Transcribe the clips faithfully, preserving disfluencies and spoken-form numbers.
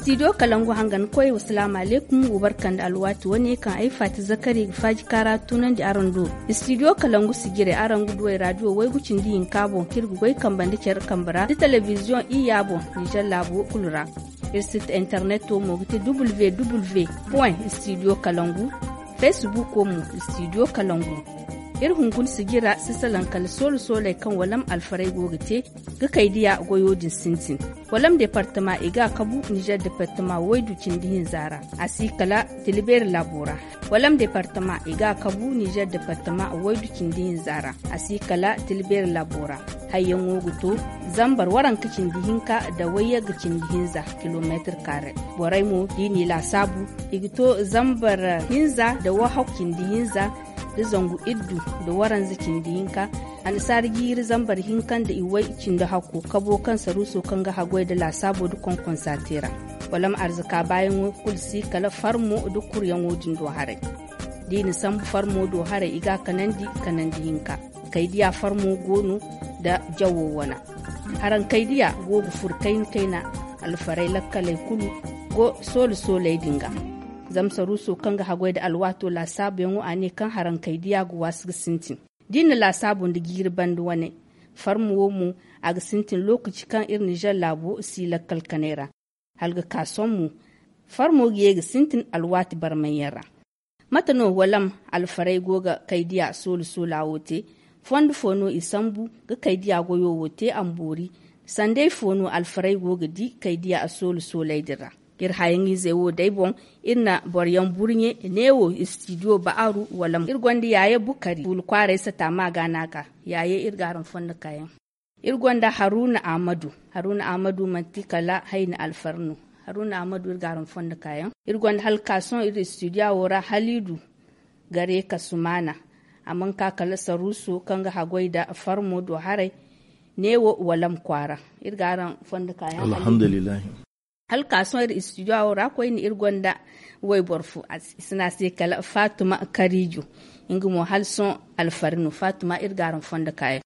Studio kalangu hangan koy wasalaamu alaykum, wa barka nda alwaati wane kaŋ ay faati zakari ga faaji kaara tunandi araŋ do. Studio kalangu sijire araŋ ga duw'ey raadiyo waygu cindi hinka boŋ kaŋ iri ga goy kambe nda care kambe ra nda telebiziyoŋ iyya boŋ ninzeer laabo kulu ra. Iri sit interneto mo ga ti www point studio kalangu. Feesibuko mo studio kalangu. Iri hunkuna sijira si salaŋ kala soolu sooley kaŋ walam alfarey go ga te ga kaydiya goyo din sintin. Walam departama i ga a kabu ninzeer departama waydu cindi hinza ra, a si kala tila beeri laabo ra. Walam departama i ga a kabu ninzeer departama waydu cindi hinza ra, a si kala tila beeri laabo ra. Hayyaŋo ga to zambar waranka cindi hinka nda wayyagga cindi hinza kilomeetir kaare. Borey mo da i n'i laasaabu, i ga to zambar hinza nda wahakku cindi hinza nda zangu iddu nda waranza cindi hinka. Annasaara jiiri zambar hinka nda iway cindi hakko kabo kaŋ saruuso kaŋ ga haggoy nda laasaabo nda konkonsa te ra. Walam arzaka baayaŋo kulu si kala farmo nda kuryaŋo din do haray. Da i na sambu farmo do haray i ga a kanandi kanandi hinka. Kaydiya farmo go no nda jawo wana. Haraŋ kaydiya go ga furo kayna kayna. Alfarey lakkaley kulu go soole sooley din ga. Zama saruuso kaŋ ga haggoy nda alwaato laasaabuyaŋo a ne kaŋ haraŋ kaydiya ga waasi ga sintin. Da i na laasaabu nda jiiri banda wane farmo wo mo, a ga sintin lookaci kaŋ iri ninzeer laabo si lakkal kanay ra. Hala ga ka sohõ mo farmo ga ye ga sintin alwaati barmayyaŋ ra. Mate no walam alfarey go ga kaydiya soolu soola wo te? Fondo fo no i sambu ga kaydiya goyo wo te a ma boori? Sanday fo no alfarey go ga di kaydiya soolu sooley din ra? Iri hayaŋizey wo day boŋ, iri na boro yaŋ burɲe neewo istidiyo ba'aru walam iri gonda yaaye bukari fuula kwaaray sata ma ga no a ga. Yaaye iri ga araŋ fondo kaayaŋ. Iri gonda haruna ahmadu. Haruna ahmadu manti kala hayna alfar no. Haruna ahmadu iri ga araŋ fondo kaayaŋ. Iri gonda hala ka sohõ iri istidiya wo ra haliidu gare ka sumaana. A mana ka kala saruuso kaŋ ga haggoy nda farmo do haray neewo walam kwaara. Iri ga araŋ fondo kaayaŋ. Hala ka sohõ iri istidiyo wo ra koyne iri gonda wayboro fo, i si ne a se kala faatuma kariijo. Nga mo hala sohõ alfari no faatuma iri ga araŋ fondo kaayaŋ.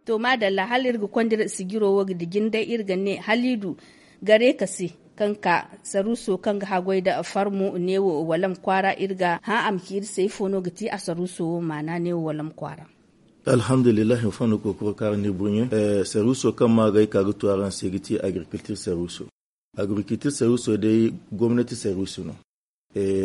To maadalla hala iri ga konda iri sijiro wo ga dijin day iri ga ne haliidu gare ka se kaŋ ka saruuso kaŋ ga haggoy nda farmo neewo walam kwaara iri ga hã a ma ci iri se ifo no ga ti a saruuso wo maana neewo walam kwaara. Alhamdulillahi fondo kookoro kaara ni burɲe. Saruuso kaŋ ma ga ay ka ga tu araŋ se ga ti agriculture saruuso. Agriculture saruuso day gomnati saruuso no.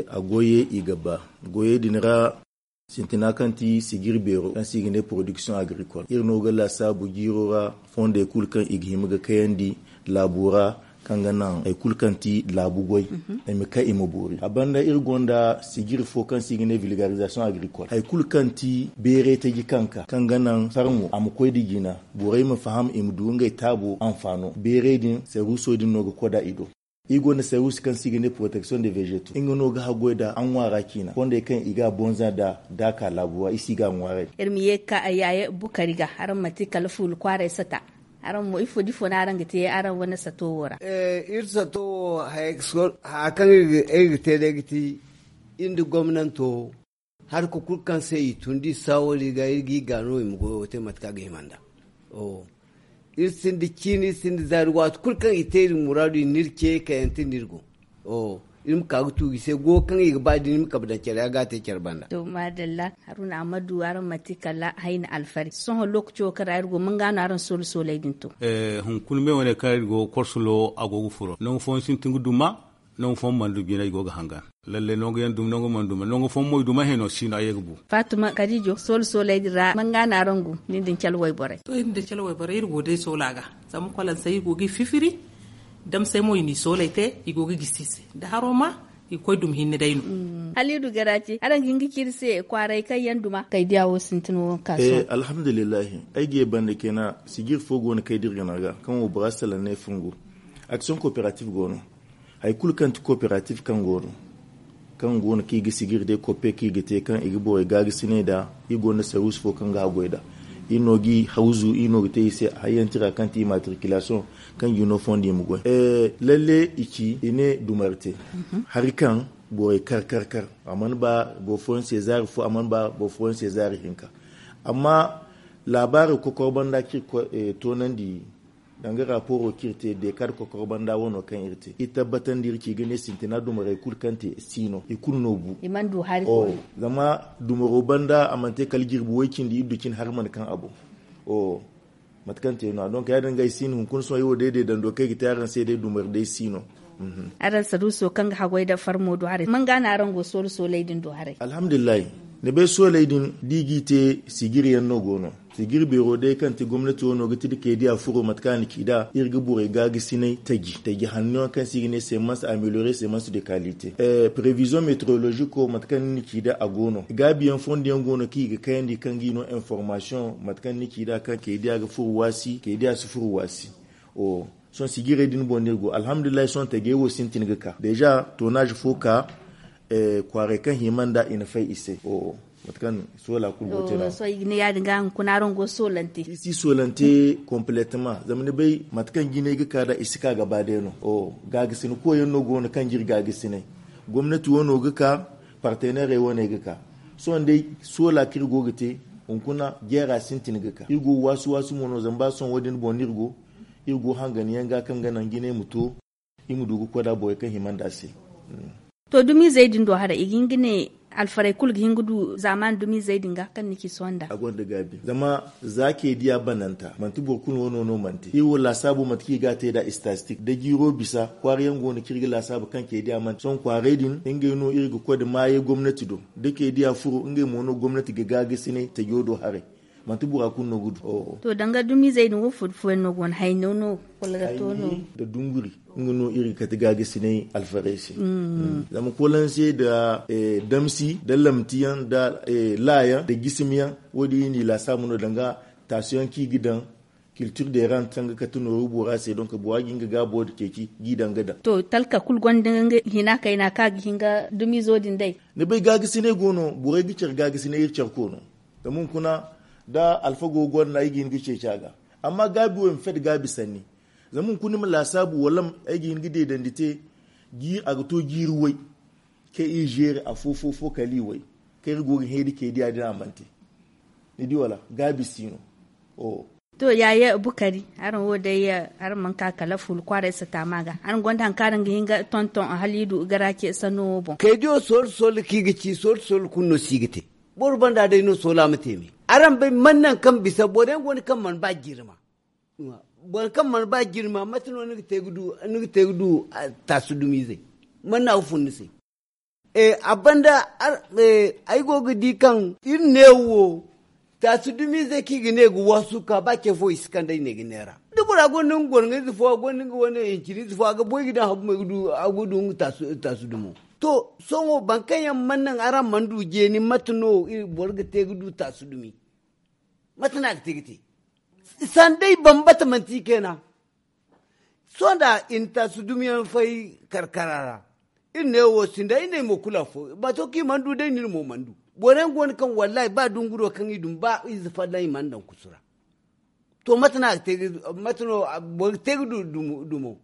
A goyey i ga ba goyey din ra. Sintina kaŋ ti sijiri beero kaŋ se i ga ne production agricole iri no ga laasaabu jiiro ra. Fondey kulu kaŋ i ga hima ga kayandi laabo ra kaŋ ga naŋ hari kulu kaŋ ti laabu goy. I ma kay i ma boori a banda iri gonda sijiri fo kaŋ se i ga ne vulgarisation agricole hari kulu kaŋ ti beeray taji kaŋ ka kaŋ ga naŋ farmo a ma koy nda jina. Borey ma faham i ma du ngey taabo anfaano beeray din saruuso din no ga koda i do. Iri gonda saruuso kaŋ se i ga ne protection de vegeto nga no ga haggoy nda a ŋwaara ciina fondey kaŋ i ga a bonza nda da a ka laabu ra iri si ga a ŋwaaray. Iri ma ye ga ka yaaye bukari ga araŋ manti kala fuula kwaaray sata. Araŋ mo ifo da ifo no araŋ ga te araŋ wane sato wo ra? Iri sato wo haya kaŋ iri ga te day ga ti iri nda gomnanto harka kulu kaŋ se i tun da i saawali ga iri ga i gaano i ma goyo te mate kaŋ a ga hima nd'a. Iri sinda ciini iri sinda zaari waati kulu kaŋ i te iri muraadu i na iri ce kayante no iri go. Iri ma ka ga tuuji se go kaŋ i ga ba din iri ma kabe daŋ care a ga a te care banda. To maadalla haruna ahmadu araŋ manti kala hayna alfari sohõ lookaco kaŋ ra iri go manga no araŋ soolo sooley din to. Hunkuna me wane kaŋ iri go korsulo a go ga furo nangu fooyaŋ sintin ga duma. Nangu fooyaŋ mana du jina i go ga hangan. Lalle nangu yaŋ duma nangu mana duma nangu fooyaŋ mo i duma heno si no a ye ga bu. Faatuma kadijo soolo sooley din ra manga no araŋ go nin din cala wayborey. To iri din cala wayborey iri go day soola ga. Zama kwalansey iri go ga i fifiri. Damsey mo i n'i sooley te i go ga gisi i se da haro ma i ga koy dumi hinne day no. Haliidu garace araŋ ga hin ga ci iri se kwaaray kaŋ yaŋ duma kay diya wo sintin wo kaŋ a sohõ. Alhamdulillahi ay ga ye banda kena sijir fo go no kay da iri gana ga kaŋ wo bora salaŋ ne fungu. Action cooperative go no. Hari kulu kaŋ ti cooperative kaŋ go no kaŋ go no kaŋ i ga sijir day koppe kaŋ i ga te kaŋ i ga borey gaagasiney nd'a. Iri gonda saruusu fo kaŋ ga haggoy nd'a. Iri no ga i hawzu iri no ga te i se hayyantira kaŋ ti immatriculation kaŋ jino fondo i ma goy. Lalle i ci i ne dumarte hari kaŋ Borey kar kar kar a mana ba boro fooyaŋ se zaari fo a mana ba boro fooyaŋ se zaari hinka. Amma laabaari kokor banda kaŋ iri toonandi danga raaporo kaŋ iri te deekaad kokor banda wano kaŋ iri te iri tabbatandi iri ci ga ne sintina dumarey kulu kaŋ te si no i kulu no bu. Zama dumaro banda a mana te kala jirbi way cindi iri du cine hari mana kaŋ a boŋ. Mate kaŋ te no- ya- din ga ay si no hunkuna sohõ ay wo day day dando kaŋ ay ga te araŋ se day dumari day si no. Araŋ saduuso kaŋ ga haggoy nda farmo do haray man ga no araŋ go soolu sooley din do haray? Alhamdulillahi, ni bay sooley din da i g'i te sijiri yaŋ no go no. Sijiri beero day kaŋ ti gomnati wo no ga ti da kaydiya furo mate kaŋ a na ci nd'a iri ga borey gaagasinay taji taji hanno yaŋ kaŋ se i ga ne semence ameliorer semence de kalite. Prevision meteorologiko mate kaŋ ni na ci nd'a a go no gaabi yaŋ fondo yaŋ go no kaŋ i ga kayandi kaŋ ga i no information mate kaŋ ni na ci nd'a kaŋ kaydiya ga furo waasi kaydiya si furo waasi. Sohõ sijirey din boŋ no iri go alhamdulillahi sohõ tajey wo sintin ga ka deeza toonaazi fo ka. Kwaaray kaŋ hima nd'a i na fay i se. Mate kaŋ soola kulu go te no- ya- din ga hunkuna araŋ go soolante. Iri si soolante kompletema zama ni bay mate kaŋ jinay ga ka nd'a i si ka gaba day no. Gaagasinay koy yaŋ no go no kaŋ ga iri gaagasinay. Gomnati wo no ga ka parteneerey wo no ay ga ka. Sohõ day soola kaŋ iri go ga te hunkuna jeera sintin ga ka iri go waasu waasu mo no zama ba sohõ wo- din boŋ no iri go. Iri go hangan yaŋ ga kaŋ ga naŋ jinay ma to iri ma du ga koy nd'a borey kaŋ hima nd'a se. To dumiizey din do haray i ga hin ga ne alfarey kulu ga hin ga du zaamaani dumiizey din ga kaŋ ni ci sohõ nd'a a gonda gaabi zama za kaydiya bananta manti boro kulu wano no manti iri wo laasaabu mate kaŋ i ga a te nd'a istatistik da jiiro bisa kwaara yaŋ go no kaŋ iri ga laasaabu kaŋ kaydiya manti sohõ kwaaray din ngey no iri ga koy nda maayey gomnati do da kaydiya furo ngey mo no gomnati ga gaagasinay tajo do haray. Manti bora kulu no ga du. To danga dumiizey din wo fo da fooyaŋ no go no hayno no? Kala ga to no da dunguri nga no iri ga kate gaagasinay alfarey se. Zama koolanse nda damsi nda lamtiyaŋ nda laayaŋ nda jisimyaŋ wo- din iri n'i laasaabu no danga taasuyaŋ kaŋ i ga daŋ kiltir deerant kaŋ ga kate nooru bora se donk bora ga hin ga gaabo nda ceeci g'i daŋ ga daŋ. To talka kulu gonda nga hina kayna kaŋ a ga hin ga dumiizo din day? Ni bay gaagasinay go no borey ga care gaagasinay iri care koono. Zama hunkuna da alfago gonda no ay ga hin ga ceeci a ga. Amma gaabi wo i ma fed gaabi sanni. Zama hunkuna ni ma laasaabu wala ay ga hin ga deedandi te a ga to jiiri way kaŋ iri zeeri afo fo fo kala i way kaŋ iri go ga heedi kaydiya din a mana te. Ni di wala gaabi si no. To yaaye bukari araŋ wo day araŋ mana ka kala fuula kwaaray sataama ga araŋ gonda hari kaŋ araŋ ga hin ga tonton haliidu garaace sanno wo boŋ. Kaydiyo soola soola kaŋ i ga ci soola soola kulu no si ga te. Boro banda day no soola ma te me araŋ bay mana naŋ kaŋ bisa boro yaŋ go no kaŋ mana ba jirma. Boro kaŋ mana ba jirma mate no ni ga te ga du taasu dumiizey? Mana no a ga fun ni se? A banda ay go ga di kaŋ iri neewo wo taasu dumiizey kaŋ i ga ne ga waasu ka ba ce fo i si kande ay ne ga neera da bora gonda nga gorŋayze fo a gonda nga wane hinciniize fo a ga boy ga daŋ habu mo ay ga du nga taasu dumo. To sohõ boro kaŋ yaŋ mana naŋ araŋ mana du jeeni mate no boro ga te ga du taasu dumi? Mate no a ga te ga te sanda i bambata manti i kayna. Sohõ da i na taasu dumiyaŋ fay karkara ra iri ne wo sinda ay ne ay mo kulu afo bato kaŋ i mana du day no iri mo mana du. Boro yaŋ go no kaŋ wallahi ba dunguro kaŋ i dumi ba ize folloŋ i mana daŋ kusu ra. To mate no a ga te ga mate no boro ga te ga du dumo?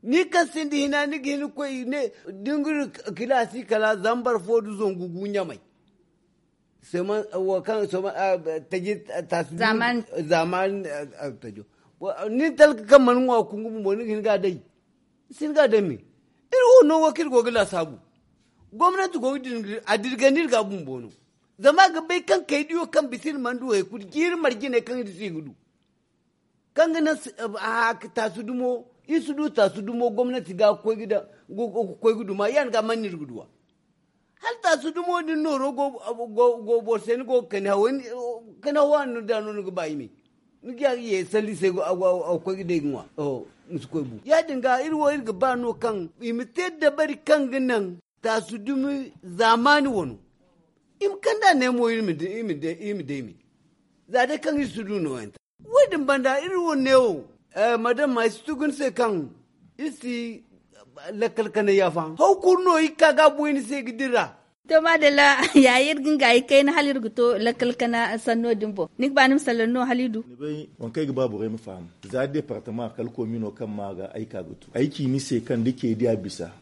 Ni kaŋ sinda hina ni ga hin ga koy ne da ni ga du kilaasi kala zambar fo nda zangu gu ɲamay. Seman wo kaŋ seman taji taasi zamani zamani. Tajo ni talka kaŋ mana ŋwa kungu bumbo ni ga hin ga a day. Ni si hin ga a day me iri wo no wo kaŋ iri go ga laasaabu. Gomnanti go ga din a dirgandi iri ga bumbo no. Zama a ga bay kaŋ kaydiyo kaŋ bisa iri mana du hari kulu jiiri marjiney kaŋ iri si ga du. Kaŋ ga naŋ taasu dumo iri si du taasu dumo gomnanti ga ga koy ga duma ya- din ga mana no iri ga duw'a. Hala taasu dumo din nooro go boro se ni go ga kani haway kani hawa no da no ni ga ba i me. Ni ga ye salli se a ga koy ga day ga ŋwa. Ni si koy bu ya- din ga iri wo iri ga ba no kaŋ i ma te dabari kaŋ ga naŋ taasu dumi zaamaani wano. I ma kand'a ne mo iri ma day me. Za day kaŋ iri si du nooyante wo- din banda iri wo neewo madam ma ay si tugu ni se kaŋ iri si lakkal kana yaafa haw kulu no iri ga ka ga a boy ni se ga dira. To maadalla ya iri ga nga ay kayna hala iri ga to lakkal kana sanno din boŋ ni ga ba ni ma salaŋ no hala i du. Ni bay waŋ kaŋ ay ga ba borey ma faham za departama kala koomino kaŋ ma ga ay ka ga tu ay ci ni se kaŋ da ceediya bisa.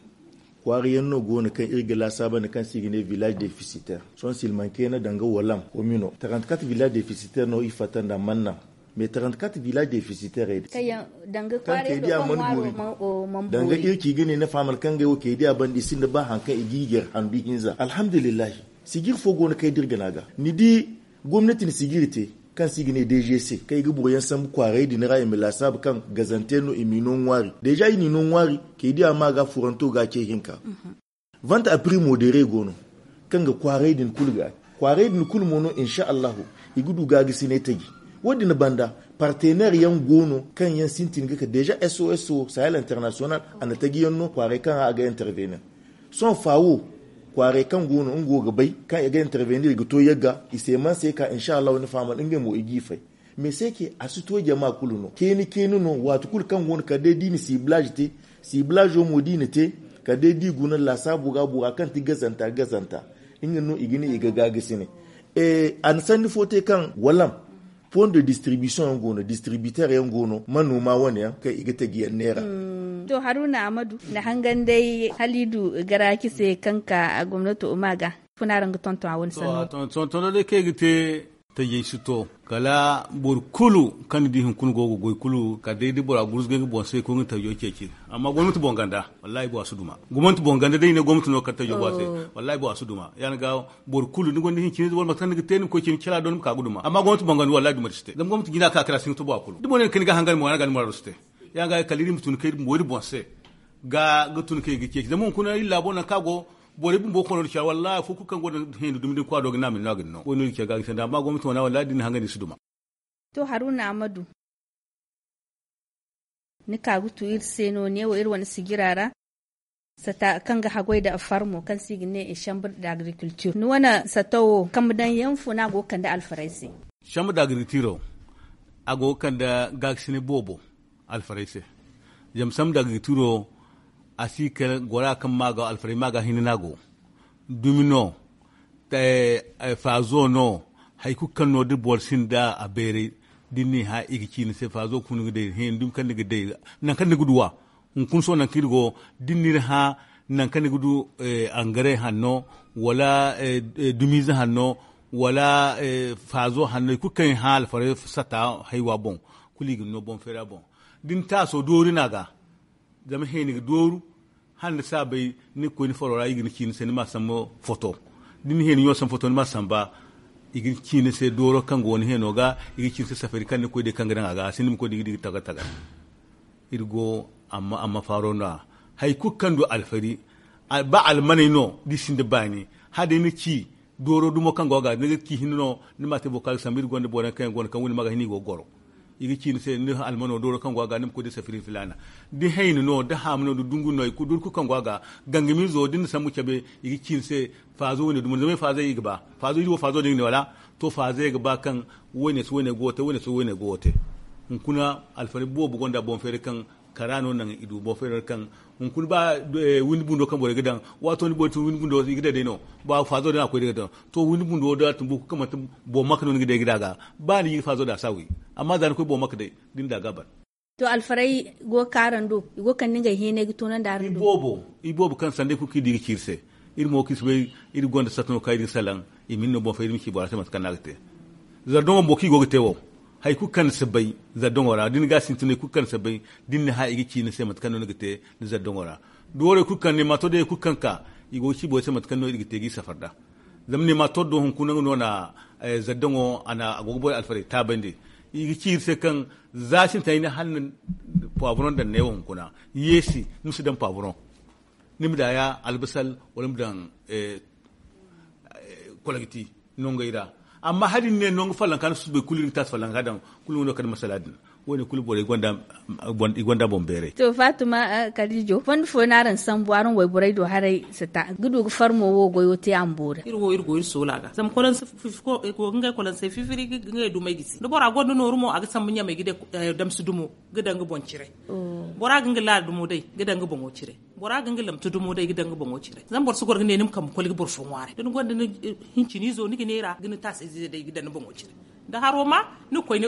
Kwaara yaŋ no go no kaŋ iri ga laasaabandi kaŋ se i ga ne village deficitaire. Sohõ silmanke no danga walam komino tarantikat village deficitaire no i fatta nda manna. Mais tarantikat village deficitaire din kaŋ kay diya man boori. Danga iri ci ga ne ni faamal kaŋ ga ay wo kay diya banda i sinda ba hari kaŋ i ga i gar handu hinza alhamdulillahi. Sijir fo go no kaŋ ay dirga no a ga ni di gomnati na sijiri te kaŋ se i ga ne dgc kaŋ i ga boro yaŋ sambu kwaaray din ra i ma laasaabu kaŋ gazante no i m'i no ŋwaari deja i n'i no ŋwaari. Kay diya ma ga furanto ga a ce hinka. Vanta a primo deere go no kaŋ ga kwaaray din kulu ga kwaaray din kulu mo no insa allahu i ga du ga ga sine taji. Wo- din banda partener yaŋ go no kaŋ yaŋ sintin ga ka deja sos sahel international a na taji yaŋ no kwaaray kaŋ ra a ga intervenir. Sohõ faawo kwaaray kaŋ go no nga wo ga bay kaŋ i ga intervenir i ga to yagga i se man se ka insa allahu ni faamal ngey mo i g'i fay. Mais se ke a si to jama kulu no keeni keeni no waati kulu kaŋ go no kala day da i na siblaazi te. Siblaazo mo da i na te kala day da i guna laasaabo ga bora kaŋ ti gazanta gazanta nga no i ga ne i ga gaagasi ne. A na sanni fo te kaŋ walam pon de distribution yaŋ go no distributer yaŋ go no manoma wane yaŋ kaŋ i ga taji yaŋ neera. To haruna amadu nda hangan day hala i du garaaci se kaŋ ka gomnato ma ga funa ra nga tonton a wane sanno. Tonton day kaŋ i ga te tajey si to kala boro kulu kaŋ ni di hunkuna go ga goy kulu kala day da bora gurzugay nga boŋ se koy nga tajo ceeci. Amma gomnati boŋ ganda wallahi bora si duma. Gomnati boŋ ganda day ne gomnati no kala tajo bora se. Wallahi bora si duma ya- din ga boro kulu ni gonda hincine wala mate kaŋ ni ga te ni ma koy cimi cala do ni ma ka ga duma amma gomnati boŋ ganda wallahi duma si te zama gomnati jina ka kala si nga to bora kulu da boro ne kaŋ ni ga hangan mo ya- din ga ni muraado si te. Ya- din ga kala iri ma tun kay bumbo iri boŋ se ga ga tun kay ga ceeci zama hunkuna iri laabo nangu kaŋ a go borey bumbo kono nda care wallahi afo kulu kaŋ gonda heeni dumi din kwa do ga ne a ma ni no a ga ni no wo- din iri care ga ga sanda amma gomnati wane wallahi da ni na hangandi si duma. To haruna amadu ni ka ga tu iri se no ne wo iri wane sijira ra sata kaŋ ga haggoy nda farmo kaŋ se i ga ne chambre d'agriculture ni wane sata wo kambe daŋ yaŋ fo no a go ga kande alfarey se? Chambre d'agriculture a go ga kande gaakasine boobo alfarey se. Zama chambre d'agriculture a si kala gora kaŋ ma ga alfarey ma ga hinne no a go dumi no faazo no hari kulu kaŋ no da boro sinda a bayray da ni n'i hã i ga ci ni se faazo ga fun ga day hẽ dumi kaŋ ni ga day nangu kaŋ ni ga duw'a. Hunkuna sohõ nangu kaŋ iri go da ni n'iri hã nangu kaŋ ni ga du angaray hanno wala dumiize hanno wala faazo hanno hari kulu kaŋ i hã alfaray sata haywa boŋ kulu i ga ni no boŋ feera boŋ. Da ni taaso doori no a ga zama heeni ga dooru hala ni si a bay ni ga koy ni faro ra i ga ni ci ni se ni ma a sambu foto. Da ni heeni ɲo sambu foto ni ma a samba i ga ci ni se dooro kaŋ go ni heeno ga i ga ci ni se safari kaŋ ni ga koy day kaŋ ga daŋ a ga a sinda ni ma koy da i ga di ga tagar tagar. Iri go amma amma faaro no- ya hari kulu kaŋ du alfari ba almaney no da i sinda baani hala day ni ci dooro dumo kaŋ go a ga ni ga ci hinne no ni ma a te boro kaŋ a ga sambu iri gonda boro yaŋ kaŋ yaŋ go no kaŋ windi ma ga hin i go ga goro. I ga ci ni se ni almano dooro kaŋ go a ga ni ma koy da safiri filaana da hayni no da haamu no da dungu no i kulu doori kulu kaŋ go a ga gangamiizo da ni na sambu cabe i ga ci ni se faazo wane dumo zama ay faazey i ga ba faazo iri wo faazo din ga ne wala to faazey ga ba kaŋ wane si wane go ga te wane si wane go ga te. Hunkuna alfari boobo gonda boŋ feeray kaŋ kara no naŋ i du boŋ feeray kaŋ hunkuna ba windi bundo kaŋ borey ga daŋ waato ni borey tun windi bundo i ga day day no ba faazo din a koy day ga daŋ to windi bundo da tun boro kulu kaŋ manti boŋ maka no ni ga day ga da ga ba ni ga faazo da a si a wi. Amma za ni koy boŋ maka day da ni da ga a ban. To alfaray go ga ka araŋ do i go ga kande ngey heenay ga toonandi araŋ do i boobo kaŋ sanday kulu kaŋ i di ga ci iri se. Iri mo kaŋ iri si bay iri gonda satta no kaŋ iri ga salaŋ i ma iri no boŋ fay iri ma ci bora se mate kaŋ no a ga te. Zardaŋo bumbo kaŋ i go ga te wo hari kulu kaŋ ni si bay zardaŋo ra da ni ga a sintin hari kulu kaŋ ni si bay da ni na hã i ga ci ni se mate kaŋ no ni ga te ni zardaŋo ra. Doorey kulu kaŋ ni ma to day hari kulu kaŋ ka i go ga ci borey se mate kaŋ no iri ga te ga i safar nd'a. Zama ni ma to do hunkuna nga no na zaddaŋo a go ga borey alfarey taabandi. I ga ci iri se kaŋ za sintina ay ne hala ni na paaburoŋ daŋ neewo hunkuna yeesi ni ma si daŋ paaburoŋ. Ni ma daŋ ya albasal wala ni ma daŋ kologti nongey ra. Amma hala ni ne nongo fallanka ni susubay kulu iri ga taasi fallanka daŋ kulu nga no kala masala din. Wo- ne kulu borey i gonda boŋ beeray. To faatuma kaliijo fondo fooyaŋ no araŋ sambu araŋ wayborey do haray sata ga du ga farmo wo goyo te a ma boori. Iri wo iri go iri soola ga zama kolonse fifiko i go ga ngey kolonse fifiri ga ngey dumey gisi da bora gonda nooru mo a ga sambu ɲamey ga de damsi dumo ga daŋ ga boŋ cire. Bora ga nga laala dumo day ga daŋ ga boŋo cire. Bora ga nga lamtu dumo day ga daŋ ga boŋo cire zama boro si goro ga ne ni ma kambe koli ga boro fo ŋwaaray da ni gonda ni hinciniizo ni ga neera ga ni taasayze day ga daŋ ni boŋo cire. Da haro ma ni ga koy ni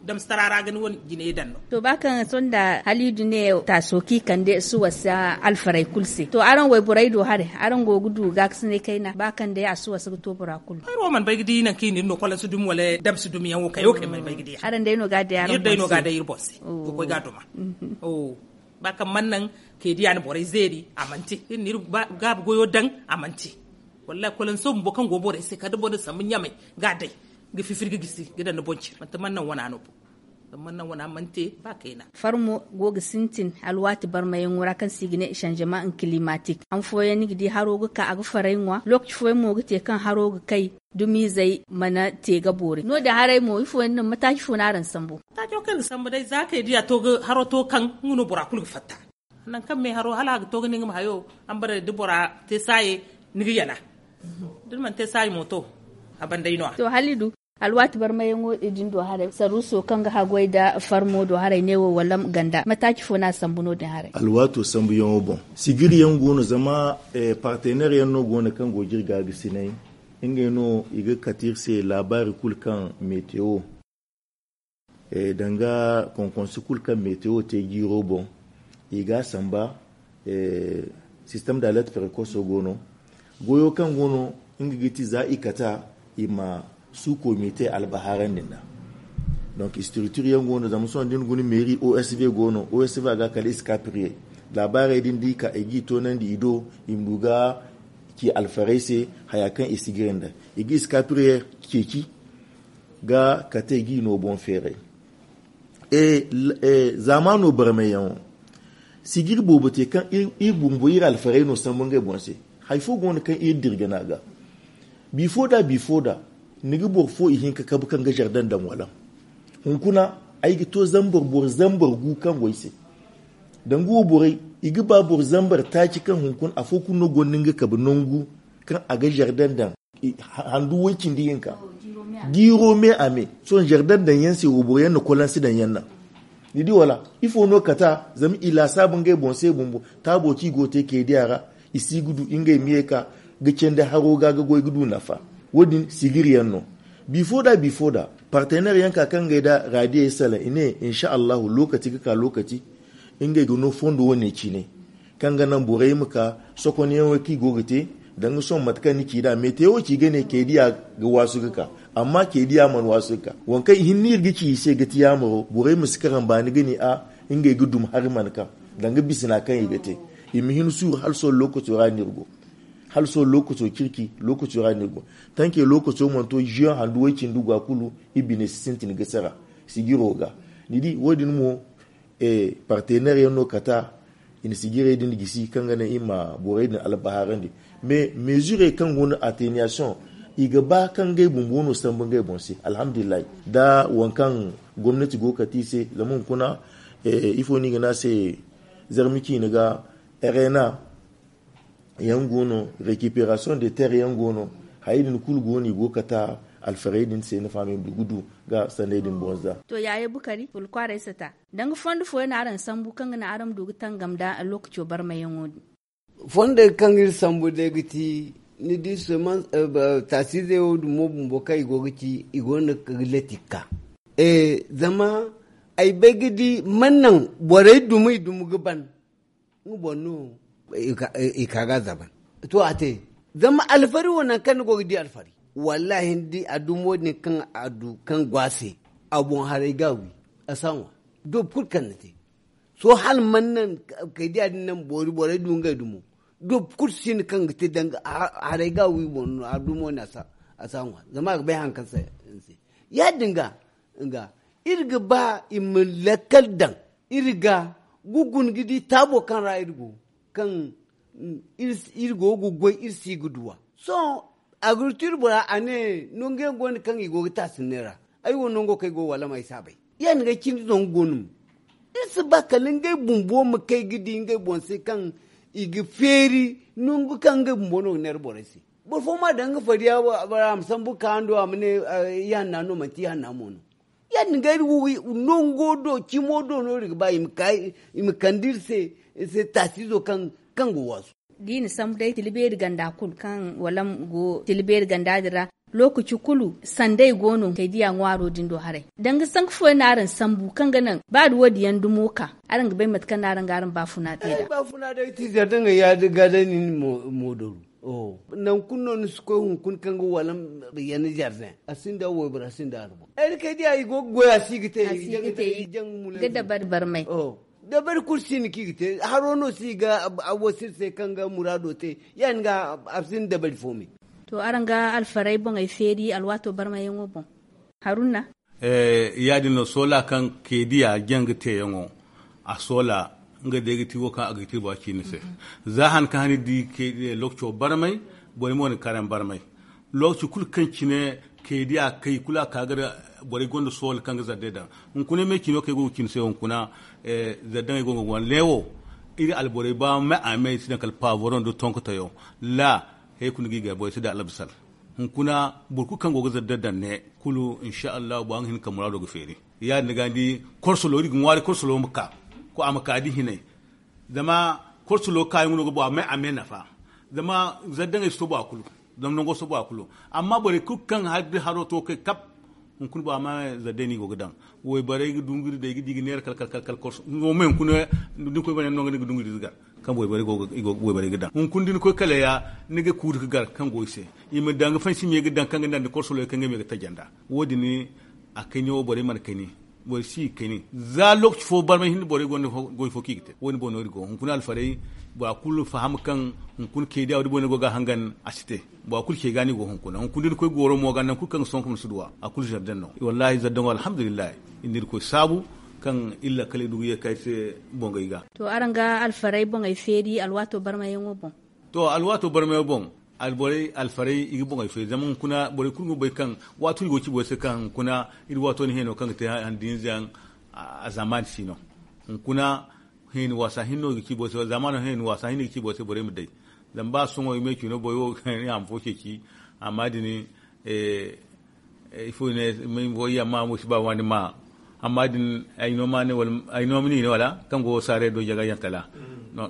Damsitara ra ga ni wane jinay daŋ no. To ba kaŋ sonda haliidu ne taaso kaŋ i kande suwasa alfarey kulu se to araŋ wayborey do haray araŋ go ga du gaakasinay kayna ba kaŋ day a suwasa ga to bora kulu. Ay wo mana bay ga di nangu kaŋ i na iri no kolansi dumi wala damsi dumi yaŋ wo kayo kaŋ ay mana bay ga di. Araŋ day no ga a day araŋ boŋ se. Ga koy ga a duma. Ba kaŋ mana naŋ kay diya na borey zeeri a mana te iri na iri gaabi goyo daŋ. A mana te. Wallahi kolanso bumbo kaŋ go borey se kala da boro na sambu ɲamay ga a day ga fifiri ga gisi ga daŋ ni boŋ cire manti mana naŋ wana no bo. Zama mana naŋ wana mana te ba kayna. Farmo go ga sintin alwaati barmayaŋo ra kaŋ se i ga ne sanzama kilimatik han fooyaŋ ni ga di haro ga ka a ga faray ŋwa lookaci fooyaŋ mo ga te kaŋ haro ga kay. Dumizey mana te ga boori no- din haray mo ifo yaŋ no mataaci fo no araŋ sambu? Mataaco kaŋ iri ga sambu day za kay diya to ga haro to kaŋ nga no bora kulu ga fatta. Nangu kaŋ me haro hala a ga to ga ne nga ma hayo. Ambaray da bora te saaye ni ga yala. Da ni mana te saaye mo to a banday no- ya. To haliidu alwaati barmayaŋo din do haray saruuso kaŋ ga haggoy nda farmo do haray neewo wala ganda mataaci fo no a sambu no- din haray? Alwaato sambuyaŋo boŋ sigiriyaŋ go no zama parteneer yaŋ no go no kaŋ go ga iri gaagasinay. Ngey no i ga kate iri se laabaari kulu kaŋ metewo danga konkonsi kulu kaŋ metewo te jiiro boŋ. I ga a samba sistem da alert precoce go no. Goyo kaŋ go no nga ga ti za i kata i ma suuko mite albahaarandi nd'a. Donc structure yaŋ go no zama sohõ da ni guna meeri osv go no osv a ga kala i si ka priyey. Laabaarey din da i ka i g'i toonandi i do i ma du ga ci alfarey se haya kaŋ i si gire nd'a. I ga i si ka priyey ceeci ga kate g'i no boŋ feeray. Zaamaano barmayyaŋo sigiri boobo te kaŋ iri bumbo iri alfarey no sambu ngey boŋ se. Hari fo go no kaŋ iri dira gana ga bifo da bifo da ni ga boro fo ihinka kabu kaŋ ga zardaŋ daŋ wala. Hunkuna ay ga to zambar boro zambar gu kaŋ go ay se. Danga wo borey i ga ba boro zambar taaci kaŋ hunkuna afo kulu no gonda nga kabe nangu kaŋ a ga zardaŋ daŋ handu way cindi hinka. Jiiro me a me sohõ zardaŋ daŋ yaŋ se wo boro yaŋ na kolansi daŋ yaŋ naŋ. Ni di wala ifo no kata zama i laasaabu ngey boŋ se bumbo taabo kaŋ i go ga te keediya ra. I si ga du ngey ma ye ka ga candi haro ga ga goy ga du nafa. Wo- din sigiri yaŋ no. Bifo da bifo da parteneer yaŋ ka kaŋ ngey da raadiyey salaŋ i ne insa allahu lokaci ga ka lokaci ngey ga no fondo wane cine kaŋ ga naŋ borey ma ka sokonyaŋo kaŋ i go ga te. Danga sohõ mate kaŋ ni ci nd'a metewo ci ga ne keediya ga waasu ga ka. Amma keediya mana waasu ga ka waŋ kaŋ i hinne iri ga ci i se ga ti yaamaro borey ma si karambaani ga ne a ngey ga dum hari mana kaŋ danga bisina kaŋ i ga te. I ma hin suuru hala sohõ lookaco ra no iri go. Hala sohõ lookaco circi lookaco ra no iri go. Tanke lookaco mana to ziyoŋ handu way cindi go a kulu. Iri bine si sintin ga sara sijiro ga. Ni di wo- din mo parteneer yaŋ no kata i na sijirey din gisi kaŋ ga naŋ i ma borey din albahaarandi. Mais meezurey kaŋ go no atteniyasiyoŋ i ga ba kaŋ ngey bumbo no sambu ngey boŋ se alhamdulillahi. Da waŋ kaŋ gomnati go ga kate i se zama hunkuna ifo no i ga ne a se? Zarma ciine ga arena yaŋ go no. Rekiperasiyoŋ de ter yaŋ go no. Hayey din kulu go no i go ga kate alfarey din se nafa no i ma du ga du ga sanney din boŋ za. To yaaye bukari wala kwaarey sata danga fondo fooyaŋ no araŋ sambu kaŋ ga naŋ araŋ ma du ga tangam nda lookaco barmayaŋo din? Fondey kaŋ iri sambu day ga ti ni di taasiizey wo dumo bumbo kaŋ i go ga ci i go no ga lati ga ka. Zama ay bay ga di mana naŋ borey dumi i dumi ga ban nga boŋ no i ka ga a zaban. To a te zama alfari wo nangu kaŋ ni go ga di alfari wallahi ni di a dumo din kaŋ a du kaŋ go a se a boŋ haray ga a wi a si a ŋwa. Doobu kulu kaŋ ni te sohõ hala mana naŋ kay diya din naŋ boori borey du ngey dumo. Doobu kulu si no kaŋ ga te danga haray ga a wi boŋ no a dumo no a si a ŋwa zama a ga bay hari kaŋ se. Ya- din ga nga iri ga ba i ma lakkal daŋ iri ga ga guna ga di taabo kaŋ ra iri go kaŋ iri go ga goy iri si ga duw'a. Sohõ agriculture bora a ne nangu yaŋ go no kaŋ i go ga taasinney ra. Ay wo nango kaŋ ay go wala ma ay si a bay. Ya- din ga ay cindi zangu go no mo iri si ba kala ngey bumbo ma kay ga di ngey boŋ se kaŋ i ga feeri nangu kaŋ ngey bumbo no ga neera borey se. Boro fo ma daŋ nga fariya a ma sambu ga ka hando a ma ne ihanna no manti ihanna mo no. Ya- din ga iri wo nango do cimo do no iri ga ba i ma kande iri se taasiizo kaŋ ga waasu. Da i na sambu day tila beeri ganda kulu kaŋ walam go tila beeri ganda din ra. Lookaci kulu sanday go no kay diya ŋwaaro din do haray. Danga sanka fooyaŋ no araŋ sambu kaŋ ga naŋ ba da wo- din yaŋ dumo ka araŋ ga bay mate kaŋ no araŋ ga araŋ baafuna te nd'a. Baafuna day ti zardaŋey ya- din ga day nin moodaru. Nangu kulu no ni si koy hunkuna kaŋ ga wala yaŋ zardaŋ a sinda waybora sinda albo ay na kay diya i go ga goy a si ga te. I jaŋ ga te i ga dabari barmay. Dabari kulu si no kaŋ i ga te haro no si ga a wasir se kaŋ ga muraado te ya- din ga a si no dabari fo me. To araŋ ga alfaray boŋey feeri alwaato barmayyaŋo boŋ. Haruna. Ya- din no soola kaŋ keediya jaŋ ga teeyaŋo a soola nga day ga ti wo kaŋ a ga ga ti bora ciine se. Za han kaŋ han ni di keediya lookaco barmay borey mo na karayaŋ barmay. Lookaci kulu kaŋ cine keediya kay kulu a ka ga borey gonda soola kaŋ ga zarday daŋ. Hunkuna me cino kaŋ ay go ga cine se hunkuna zardaŋey go ga wane neewo iri alborey ba me a me i si daŋ kala paavoro nda tonkotayo. La hay kulu ga i gar borey si daŋ albasar. Hunkuna boro kulu kaŋ go ga zarday daŋ ne kulu insa allahu ba nga hin ka muraado ga feeri. Ya- din ga ni di korsolo iri ga ŋwaari korsolo ma ka ko a ma ka da hinay. Zama korsolo kaayaŋ no ga boŋ a me a me nafa. Zama zardaŋey si to boŋ a kulu. Zama nango si to boŋ a kulu. Amma borey kulu kaŋ hari da haro to kay kap hunkuna boŋ a ma zarday no i go ga daŋ. Wayborey ga dunguri day ga di ga neera kala kala kala kala korso nga wo ma hunkuna da ni koy borey no nga ni ga dunguri ga gar. Kaŋ wayborey ga daŋ hunkuna da ni koy kala ya ni ga kuuri ga gar kaŋ go i se. I ma daŋ ga fansi me ga daŋ kaŋ ga naŋ da korsolo kaŋ ga me ga taji nd'a. Wo- din a kayne wo borey mana kayne. Borey si ga kayne za lookaci fo barmay hinne borey gonda goy fo kaŋ i ga te wo- din boŋ no iri go hunkuna alfaray. Bora kulu faham kaŋ hunkuna keediya wo- din boŋ no iri go ga a hangan a si te. Bora kulu ce ga no iri go hunkuna hunkuna da ni koy gooro mo ga nangu kulu kaŋ ga sonko ma si duw'a a kulu zardaŋ no wallaahi zardaŋo alhamdulillahi. Iri na iri koy saabu kaŋ iri lakkaley du ga ye kay se. Bongey ga. To araŋ ga alfaray boŋey feeri alwaato barmayyaŋo boŋ. To alwaato barmayaŋo boŋ alborey alfarey i ga boŋey feeri zama hunkuna borey kulu ga bay kaŋ waati kulu i go ga ci borey se kaŋ hunkuna iri waato ni heeno kaŋ ga te handinza yaŋ. A zaamaani si no hunkuna heeni waasa hinne no i ga ci borey se zaamaano heeni waasa hinne i ga ci borey se borey ma day. Zama ba sohõ i ma ay ci no borey wo i haama fo ceeci. Amma din ifo i ne ay ma ay amma mo si ba waani ma. Amma din ay no ma ne wala ay no ma ni ne wala kaŋ go saare do jaga yaŋ kala.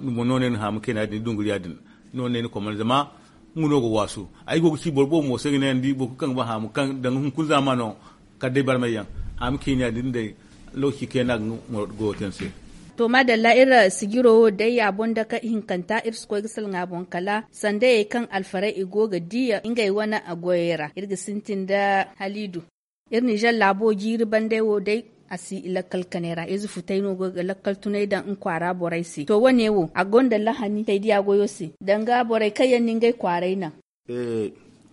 Ni mo no ne ni haama kayna din dunguriya din no ne ni komanda zama nga no ga waasu. Ay go ga ci boro boobo mo se ga ne ni di boro kulu kaŋ ga ba haama kaŋ danga hunkuna zaamaano kala day barmay yaŋ. Haama kayna din day lokaci kayna ga nga go ga te ni se. To maadalla iri sijiro wo day a boŋ dake ihinkanta iri si koy ga salaŋ a boŋ kala sandayey kaŋ alfarey i go ga di ngey wane goyey ra iri ga sintin nda haliidu. Iri ninzeer laabo jiiri bandey wo day a si lakkal kanay ra ize futay no go ga lakkal tunay daŋ nga kwaara borey se to wane wo a gonda lahani kay diya goyo se danga borey kaŋ yaŋ na ngey kwaaray naŋ.